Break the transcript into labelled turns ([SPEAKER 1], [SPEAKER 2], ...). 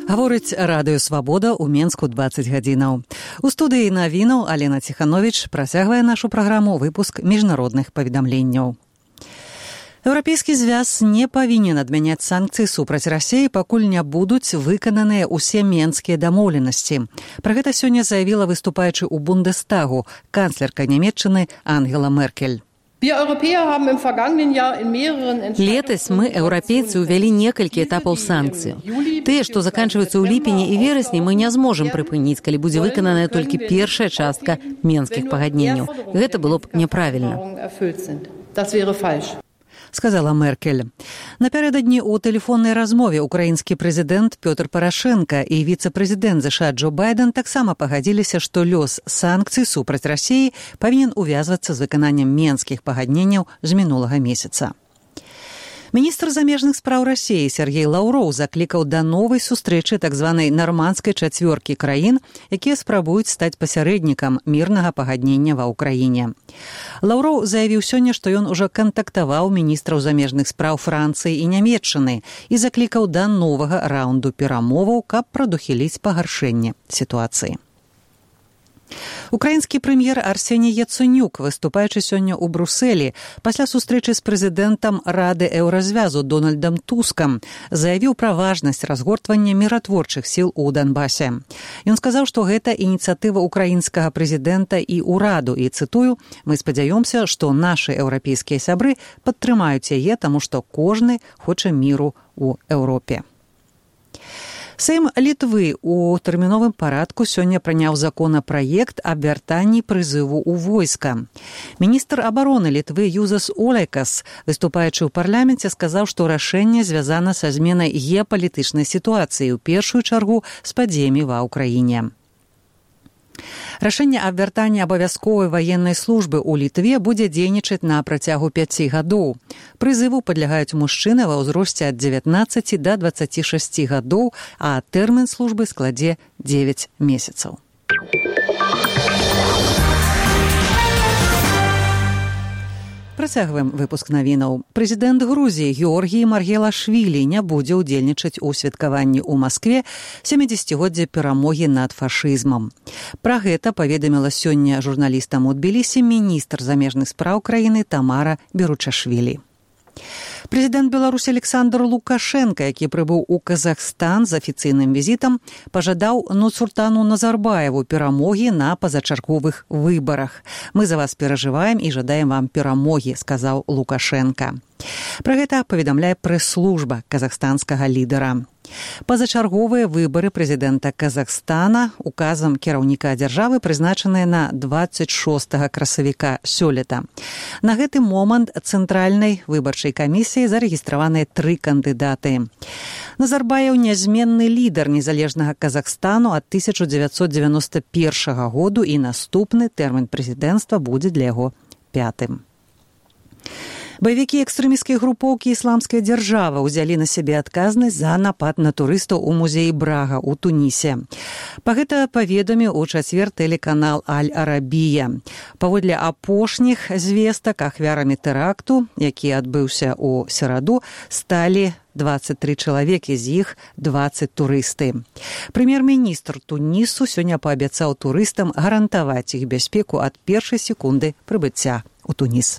[SPEAKER 1] Гаворыць Радыё Свабода ў Менску 20 гадзінаў. У студыі навінаў Алена Ціхановіч працягвае нашу праграму выпуск міжнародных паведамленняў. Еўрапейскі звяз не павінен адмяняць санкцыі супраць Расіі, пакуль не будуць выкананыя ўсе менскія дамоўленасці. Пра гэта сёння заявіла выступаючы ў Бундестагу канцлерка Нямецчыны Ангела Меркель.
[SPEAKER 2] Летась мы, еўрапейцы, увялі некалькі этапаў санкцый. Тыя, што заканчваюцца ў ліпені і верасні, мы не зможам прыпыніць, калі будзе выкананая толькі першая частка менскіх пагадненняў. Гэта было б няправільна.
[SPEAKER 1] Сказала Меркель. Напярэдадні ў тэлефоннай размове украінскі прэзідэнт Пётр Парашенка і віцэ-прэзідэнт ЗША Джо Байден таксама пагадзіліся, што лёс санкцый супраць Расіі павінен увязвацца з выкананнем менскіх пагадненняў з мінулага месяца. Міністр замежных спраў Расіі Сергей Лаўроў заклікаў да новай сустрэчы так званай нармандскай чацвёркі краін, якія спрабуюць стаць пасярэднікам мірнага пагаднення ва ўкраіне. Лаўроў заявіў сёння, што ён ужо кантактаваў міністраў замежных спраў Францыі і Нямецчыны і заклікаў да новага раунду перамоваў, каб прадухіліць пагаршэнне сітуацыі. Украінскі прэм'ер Арсеній Яценюк, выступаючы сёння ў Брусэлі, пасля сустрэчы з прэзідэнтам Рады Еўразвязу Дональдам Тускам, заявіў пра важнасць разгортвання міратворчых сіл у Донбасе. Ён сказаў, што гэта ініцыятыва украінскага прэзідэнта і ўраду, і, цытую, «Мы спадзяёмся, што нашы еўрапейскія сябры падтрымаюць яе, таму што кожны хоча міру ў Еўропе». Сейм Літвы ў тэрміновым парадку сёння прыняў законапраект аб вяртанні прызыву ў войска. Міністр абароны Літвы Юзас Олекас, выступаючы ў парламенце, сказаў, што рашэнне звязана са зменай геапалітычнай сітуацыі, у першую чаргу з падзеямі ва ўкраіне. Рашэнне аб вяртанні абавязковай ваеннай службы ў Літве будзе дзейнічаць на працягу 5 гадоў. Прызыву падлягаюць мужчыны ва ўзросце ад 19 да 26 гадоў, а тэрмін службы складзе 9 месяцаў. Працягваем выпуск навінаў. Прэзідэнт Грузіі Георгій Маргелашвілі не будзе ўдзельнічаць у святкаванні ў Маскве 70-годдзя перамогі над фашызмам. Пра гэта паведаміла сёння журналістам у Тбілісі міністр замежных спраў краіны Тамара Беручашвілі. Прэзідэнт Беларусі Александр Лукашенка, які прыбыў у Казахстан з афіцыйным візітам, пажадаў Нурсултану Назарбаеву перамогі на пазачарговых выбарах. «Мы за вас перажываем і жадаем вам перамогі», сказаў Лукашенка. Пра гэта паведамляе прэс-служба казахстанскага лідара. Пазачарговыя выбары прэзідэнта Казахстана указам кіраўніка дзяржавы прызначаныя на 26 красавіка сёлета. На гэты момант цэнтральнай выбарчай камісіі зарэгістраваныя 3 кандыдаты. Назарбаев нязменны лідар незалежнага Казахстану ад 1991 году і наступны тэрмін прэзідэнцтва будзе для яго 5-м. Баевікі экстрэмісцкай групоўкі «Ісламская дзяржава» узялі на сябе адказнасць за напад на турыстаў у музеі Брага ў Тунісе. Па гэта паведаміў у чацвер тэлеканал «Аль-Арабія». Паводле апошніх звестак ахвярамі тэракту, які адбыўся ў сераду, сталі 23 чалавекі, з іх 20 турысты. Прэм'ер-міністр Тунісу сёння паабяцаў турыстам гарантаваць іх бяспеку ад першай секунды прыбыцця ў Туніс.